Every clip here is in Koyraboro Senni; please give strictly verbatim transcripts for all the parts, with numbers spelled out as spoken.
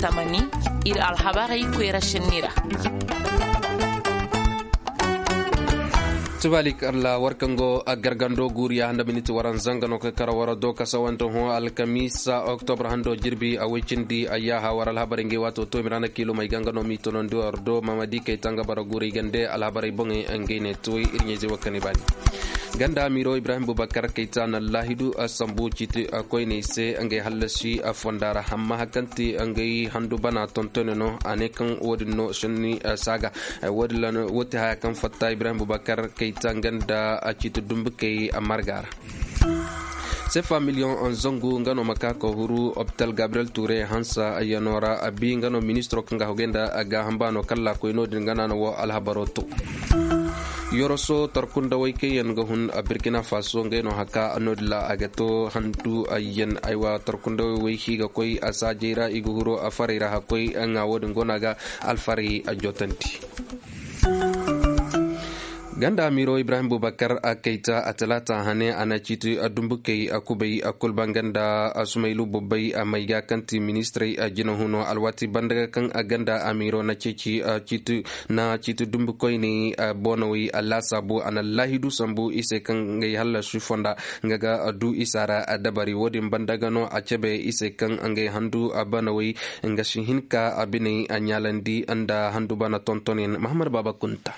Tamani, ir alhabarey koyra šenni ra. Tubalik alla war kaŋ go a gargando guuriya handa miniti waranza nga no ka kara wara do kasawante hõ alkamiisa oktobra hando jirbi a woy cindi ayyaha war alhabarey ngey waato to mirana kiilumey ga nga no m'i tonandi war do mamadi kayta nga bara guuray gande alhabarey boŋey ngey ne tuway ir ɲayzey wo kaŋ i baani. Ganda amiiro ibrahim bubakar kayta na laahidu sambu ciiti koyney se ngey hallasi fonda ra hamma hari kaŋ ti ngey handu bana tontone no a ne kaŋ wo-din no senni saaga. Wo-ti haya kaŋ fatta ibrahim bubakar kayta nga nda ciiti dumbukey marga ra. Sefa miliyoŋ zangu nga no ma ka ka huru opital gabriel ture hansa yano ra a bi nga no ministiro kaŋ ga hogay nda gaaham baano kalla koy no-din nga no a na wo alhabaro to. Yoroso tarkundawey kaŋ yaŋ ga hun a burkina faso ngey no haka no-din ra a ga to handu ayyan aywa tarkundawey wey kaŋ i ga koy a saajey ra i ga huru a farey ra hakkoy ŋa wo-din go no a ga alfarey a jotandi. Ganda amiiro ibrahim bubakar a kayta a talaata hane a na ciiti dumbukey a kubay a kul banganda a sumaylu bubbay a may ga kaŋ ti ministirey a jinahuno alwaati banda ga kaŋ a ganda amiiro na ceeci ciiti na ciiti dumbukoyney boonawey a laasaabu a na laahidu sambu i se kaŋ ngey hallasi fonda nga ga du isa ra dabari wo-din banda ga no a cebe i se kaŋ ngey handu a banawey nga si hin ka a biney a ɲaalandi nda handu bana tontonyaŋ mahamad baaba kunta.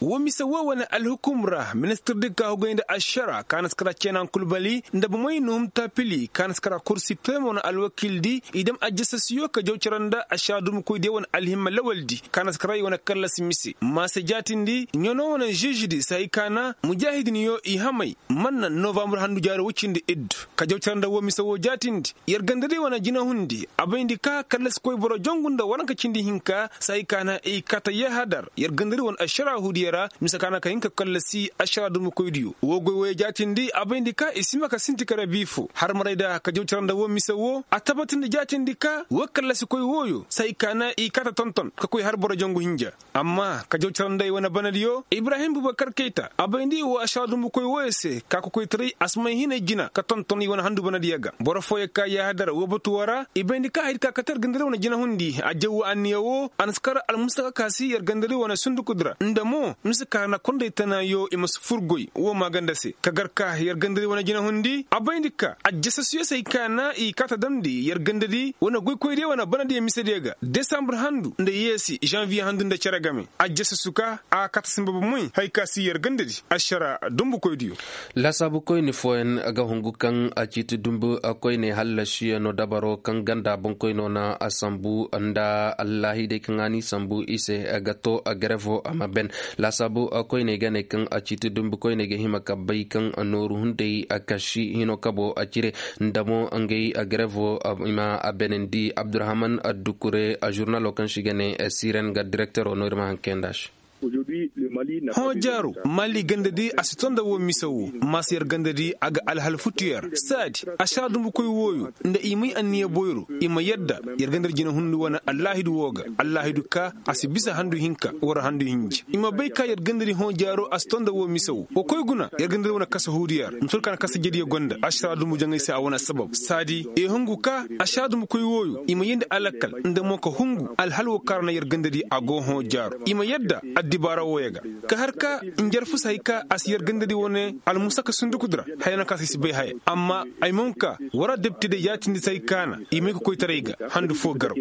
Wo mise wo wane alhukum ra ministir di ka hugay nda ašara ka na si kara ceenan kulbali nda bomey nuhum taapili ka na si kara kursi premo na alwakil di i dam ajasasiyo ka jaw cara nda ašara dumbukoy diya wane alhimma lawal di ka na si kara i wane kallasi mise maase jaatindi ɲano wane žeži di sahi ka na mujaahidin yo i hamay man na novambur handu jaaro woy cindi iddu ka jaw cara nda wo mise wo jaatindi. Yer ganda di wane jinahundi a bayndi ka kallasi koy boro jongu nda waranka cindi hinka sahi ka na i kata yahadar yer ganda di wane ašara hudiya ra mise ka na ka hin ka kallasi ašara dumbukoydiyo wo goy woyo jaatindi a bayndi ka i si ma ka sinti kare biifo har maray da ka jaw cara nda wo mise wo a tabatindi jaatindi ka wo kallasi koy woyo sahi ka na i kata tonton ka koy har boro jongu hinja. Amma ka jaw cara nda i wane banadiyo ibrahim bubakar kayta a bayndi wo ašara dumbukoy woyo se ka kokoytaray a si may hinay jina ka tonton i wane handu banadiyo ga boro fooyo ka yahadar wo batuwo ra i bayndi ka haydi ka kate yer ganda di wane jinahundi a jaw wo anniya wo a na si kar almusaka ka si yer ganda di wane sundukudi ra nda mo mise ka na konday tanaayo i ma si fur goy wo maaganda se ka gar ka yer ganda di wane jinahundi a bayndi ka ajasasiyo se hay ka na i kaata damndi yer ganda di wane goykoydiyo wane banadiyo misediyo ga desambur handu nda yeesi žanviye handu nda cere game. Ajjasasu ka a kata sinba bomoy hay ka si yer ganda di ašara dumbukoydiyo. Laasaabukoyni fooyaŋ ga hungu kaŋ a ciiti dumbu koyney hallasiyaŋo dabaro kaŋ ganda boŋkoyno na a sambu nda allaahidey kaŋ a n'i sambu i se ga to garevo a ma ben. Laasaabu koyney ga ne kaŋ a ciiti dumbu koyney ga hima ka bay kaŋ nooru hunday kasi hino kabo a cire nda mo ngey garevo i ma a benandi abdurahman dukure žurnalo kaŋ se i ga ne siren ga direktero no ir ma haŋ kayandi a se. Hõ jaaro mali ganda di a si to nda wo mise wo maasa yer ganda di a ga alhal futu yer saadi ašara dumbukoy wooyo nda i may anniya boyro i ma yadda yer ganda di jinahundi wane allaahidu woo ga allaahidu ka a si bisa handu hinka wara handu hinja i ma bay ka yer ganda di hõ jaaro a si to nda wo mise wo wa koy guna yer ganda di wane kasa huudu yer ma tun ka na kasa jediyo gonda ašara dumbu jaŋay se a wane sabab saadi i hungu ka ašara dumbukoy wooyo i ma yeendi alakal nda mo ka hungu alhal wo kaŋ ra na yer ganda di a go hõ jaaro i ma yadda addibaara wooyo ga ka har ka njarfu si hay ka a si yer ganda di wane almusaka sunduku di ra haya no kaŋ se i si bay haya amma ay ma hun ka war adabti day yaatindi si hay ka na i may ka koytaray ga handu foo garaw.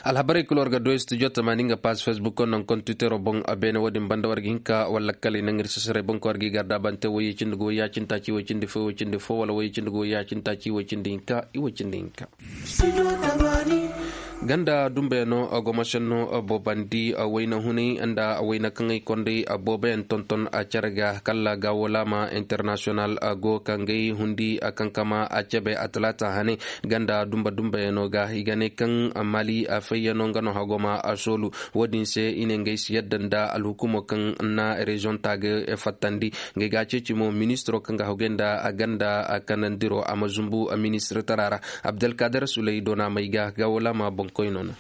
Alhabarey kul war ga du studio tamaani nga paas facebook naŋ kontiwitero boŋ beene wo-din banda war ga hin ka walla kala i naŋ ir sasaray boŋ kaŋ war ga i garda bante wayye cindi ga wayye a cindi taaci wayye cindi fo wayye cindi fo wala wayye cindi ga wayye a cindi taaci wayye cindi hinka i wayye cindi hinka. Ganda dumbeyaŋo gomosenno boobandi wayna hunay nda wayna kaŋ ay konday booboyaŋ tonton cere ga kala gaawolaama internasiyonal go ka ngey hundi kankama a cebe a talaata hane ganda dumbe dumbeyaŋo ga i ga ne kaŋ mali fayyaŋo nga no hagoma soolu. Wo-din se i ne ngey si yadda nda alhukumo kaŋ na reziyoŋ ta ga fattandi ngey ga a ceeci mo ministiro kaŋ ga hagay nda ganda kanandiro a ma zumbu ministirtara ra. Abdalkader suley doona may ga gaawolaama boŋkoyno no.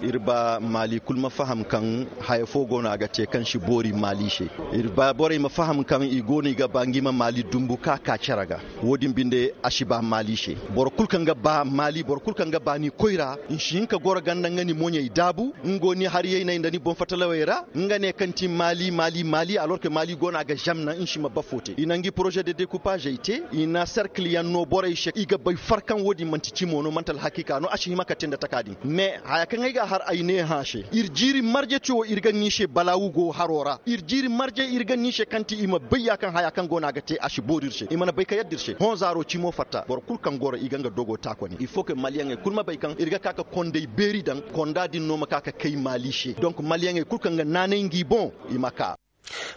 Ir ba maali kul ma faham kaŋ haya fo go no a ga te kaŋ si boori maali se. Ir ba borey ma faham kaŋ i go no i ga ba ngi ma maali dumbu ka ka cere ga. Wo-din binde a si ba maali se. Boro kul kaŋ ga ba maali boro kul kaŋ ga ba ni koyra, ni si hin ka goro ganda nga ni moɲey daabu, nga go ni hariyey nay nda ni boŋ fatalawey ra. Nga ne kaŋ ti maali maali maali alor ke maali go no a ga zamna ni si ma bafo te i na ngi poroze de dekupazey te. I na serkil yaŋ no borey se i ga bay far kaŋ wo-din manti cimo no manti alhakiika no a si hima ka te nda taka din. Mais haya kaŋ ay ga a har ay ne hã se ir jiiri marje ti wo ir ga ŋiise balaawu go haro ra ir jiiri marje ir ga ŋiise kaŋ ti i ma bay ya kaŋ haya kaŋ go no a ga te a si boori ir se i mana bay ka yadda ir se hõ zaaro cimo fatta boro kul kaŋ goro i ga nga dogo taakoni il faut que maliyaŋey kul ma bay kaŋ ir ga ka ka konday beeri daŋ konda din no ma ka ka kay maali se donk maliyaŋey kul kaŋ ga naanay ngi boŋ i ma ka.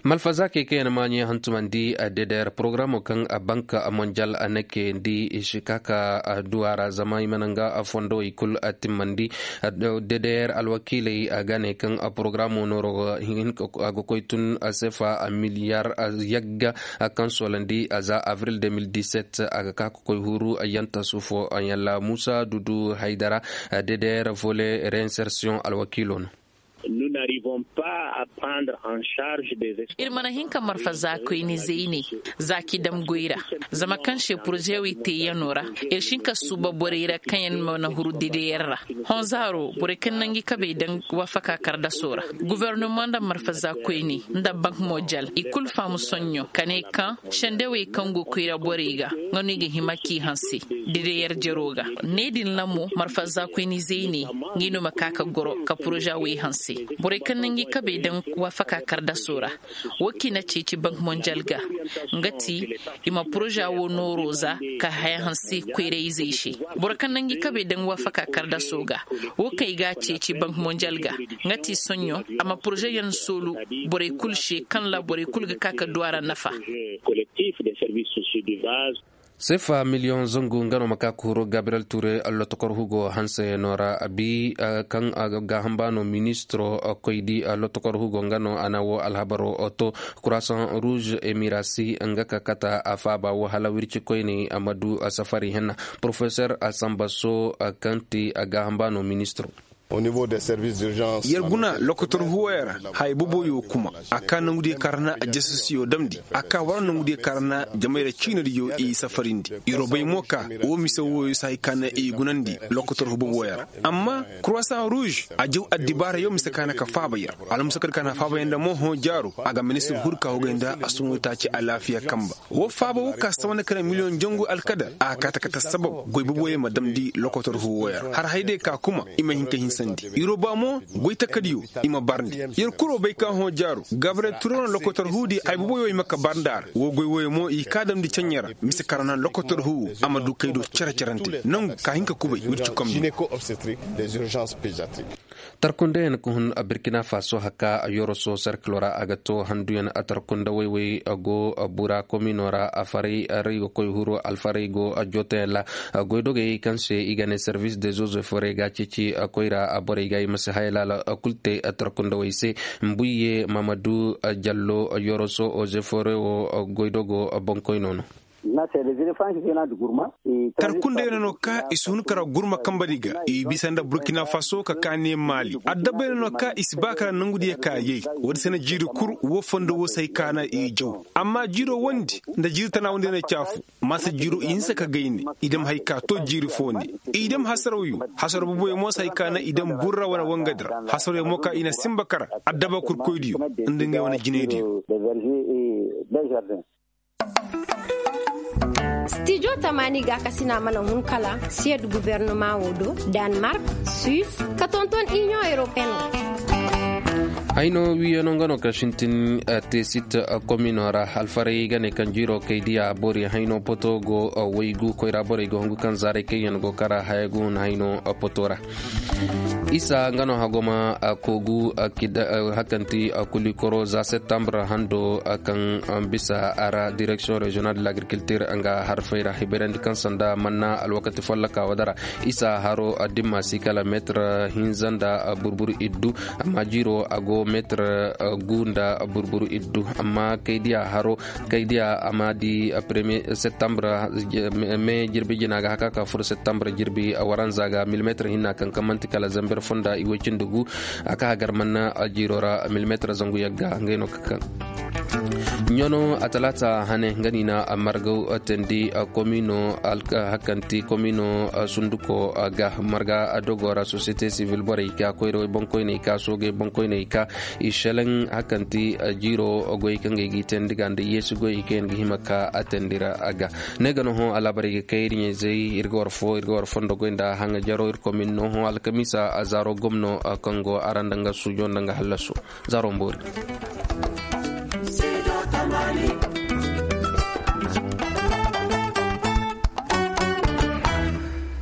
Malfazaakey kaŋ yaŋ maaɲey hantumandi, dedeer porogaramo kaŋ bank monjal a na kayandi i si ka ka duwa ra zama i mana nga fondowey kul timmandi. Dedeer alwakiiley a ga ne kaŋ porogaramo nooro ga koy tun sefa miliyar yagga kaŋ soolandi za avril 2017 a ga ka ka koy huru yanta sufo yalla musa dudu haydara. Dedeer vole reinsersiyoŋ alwakiilo no. Ir mana hin ka marfa zaakoyni zeyne, zaaki dam goy ra. Zama kaŋ se poroze wey teeyano ra, ir si hin ka suuba borey ra kaŋ yaŋ mana huru dedeyaŋ ra. Hõ zaaro borey kaŋ na ngi kabey daŋ waafaka kardaso ra. Gobornoma nda marfa zaakoyni nda bank mojal i kul faamu soɲɲo ka ne kaŋ sendewey kaŋ go koyra borey ga nga no i ga hima k'i hanse. Dedeyaŋ jero ga ne din ra mo marfa zaakoyni zeyne, ngi no ma ka ka goro ka poroza wey hanse. Borey kaŋ na ngi kabey daŋ waafaka kardaso ra. Wo kaŋ i na ceeci bank monjal ga nga ti i ma poroza wo nooro za ka haya hanse koyra-izey se. Boro kaŋ na ngi kabey daŋ waafaka kardaso ga wo kaŋ i ga ceeci bank monjal ga nga ti soɲɲo a ma poroza yaŋ soolu borey kul se kaŋ ra borey kul ga ka ka du a ra nafa. Sefa miliyoŋ zangu nga no ma ka ka huru gabriyel ture lotokor hugo hanseyaŋo ra bi kaŋ gaaham ba no ministiro koydi lotokor hugo nga no a na wo alhabaro to. Kurasaŋ ruuz emirasi nga ka kata a faaba wo hala wirci koyney a ma du safari henna. Porofesor asambaso kaŋ ti gaaham ba no ministiro. Yer guna lokotor huwoyo ra haya boboyo kuma a ka nangudiyo kaŋ ra na ajasasiyo damndi a ka war nangudiyo kaŋ ra na jamayra ciinadiyo i safarindi. Yer wo bay mo ka wo mise woyo si hay ka na i gunandi lokotor hu boboyo ra. Amma kurasaŋ ruuz a jaw addibaarayo mise ka na ka faaba yer. Almusakar ka na faaba yer nda mo hõ jaaro a ga ministir hur ka hugay nda a suŋo taaci alaafiya kamba. Wo faaba wo ka sawa na kare miliyoŋ jangu alkadar a kaata kate sabab goy boboyo ma damndi lokotor huwoyo ra har hay day ka kuma i ma hin ka hinsandi yer wo ba mo goy takadiyo i ma barndi. Yer kuro bay ka hõ jaaro gabriyel turano lokotor huudi hay boboyo i ma ka barndi a ra wo goy woyo mo i ka damndi ceɲe ra mise kaŋ ra na lokotor huwo a ma du kay do cere-cerante nangu ka hin ka kubay wirci kombi. Tarkundeyaŋ ka hun burkina faso haka yoroso serkilo ra a ga to handuyaŋ tarkundawey wey go bura komino ra afaray ray ga koy huru alfaray go jootayaŋ ra. Goydogey kaŋ se i ga ne servis de zozo foray ga ceeci koyra borey ga i ma si haya laala kul te tarkundawey se. Mbuyye mamadu jallo yoroso oze foray wo goydogo boŋkoyno no. Kar kundey no no ka i si hun kara gurma kambari ga i bisa nda burkina faso ka kaani maali addabbay no no ka i si ba kara nangudiyo ka yay. Woodi se na jiiri kul wo fondo wo si hay ka na i jaw amma jiiro wondi nda jiiri tana wondi na caafu. Masa jiiro i hinsa ka gayne i dam hay ka to jiiri fo ne i dam hasaraw yo. Hasaraw boboyo mo si hay ka na i dam burra wane wangadi ra hasaraw yo mo ka i na simba kara addaba kurkoydiyo nda ngey wane jinaydiyo. Stijo tamaani ga kasina mana hun kala siyed gubernoma wo do, danmark, suis, ka tonton inion europeen wo. Hayno wiyano nga no ka sintin tesit komino ra alfaray ga ne kaŋ jiro kay diya bori hayno poto go waygu koyra borey ga hungu kaŋ zaray kayyan go kara haya go hun hayno poto ra. Isa nga no hagoma kogu hakanti kulikoro za septembre hando kaŋ bisa a ra direction régionale de l'agriculture nga harfay ra hibayrandi kaŋ sanda manna alwakati folloka wadara. Isa haro dimma si kala metre hinza nda burbur iddu amma jiro a go. Meetir gu nda burburu iddu amma kay diya haro kay diya a ma di premier septembre. Me jirbi jina ga haka ka fur septembre jirbi waranza ga milimeetir hinna kaŋ kaŋ manti kala zamber fonda i way cindi gu. A ka hagar manna jiiro ra milimeetir zangu yagga ngay no ka kaŋ ɲano a talaata hane nga ni na margaw tandi komino hakanti komino sunduko ga marga dogo ra société civile borey ka koyrawey bankoyney ka soogey bankoyney ka i selaŋ hakanti jiiro goy kaŋ ga i ga i tandi ga nda yeesi goy kaŋ yaŋ ga hima ka a tandi ra a ga ne ga no hõ alaabarey ga kay ir ɲayzey ir ga war fo ir ga war fondo goy nda haŋa jaro ir komin no hõ alkamiisa zaaro gomno kaŋ go araŋ nda nga suujo nda nga hallaso. Zaaro mboori.